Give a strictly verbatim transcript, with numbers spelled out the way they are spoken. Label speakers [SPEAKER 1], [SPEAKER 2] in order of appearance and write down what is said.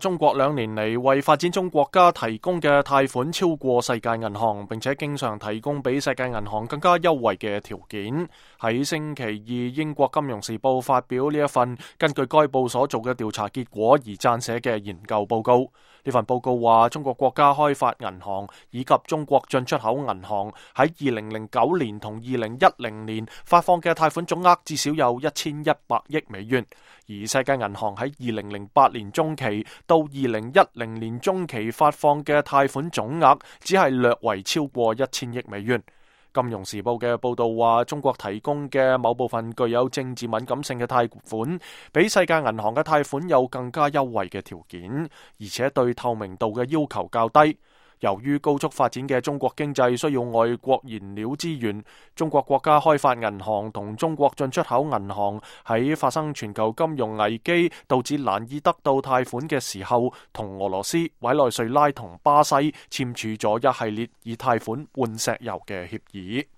[SPEAKER 1] 中國兩年嚟為發展中國家提供嘅貸款超過世界銀行，並且經常提供比世界銀行更加優惠嘅條件。喺星期二，英國金融時報發表呢一份根據該報所做嘅調查結果而撰寫嘅研究報告。呢份報告話，中國國家開發銀行以及中國進出口銀行喺二零零九年同二零一零年發放嘅貸款總額至少有一千一百億美元，而世界銀行喺二零零八年中期到二零一零年中期發放嘅貸款總額只係略為超過一千億美元。金融時報嘅報道話，中國提供嘅某部分具有政治敏感性嘅貸款，比世界銀行嘅貸款有更加優惠嘅條件，而且對透明度嘅要求較低。由於高速發展嘅中國經濟需要外國燃料資源，中國國家開發銀行同中國進出口銀行喺發生全球金融危機導致難以得到貸款嘅時候，同俄羅斯、委內瑞拉同巴西簽署咗一系列以貸款換石油嘅協議。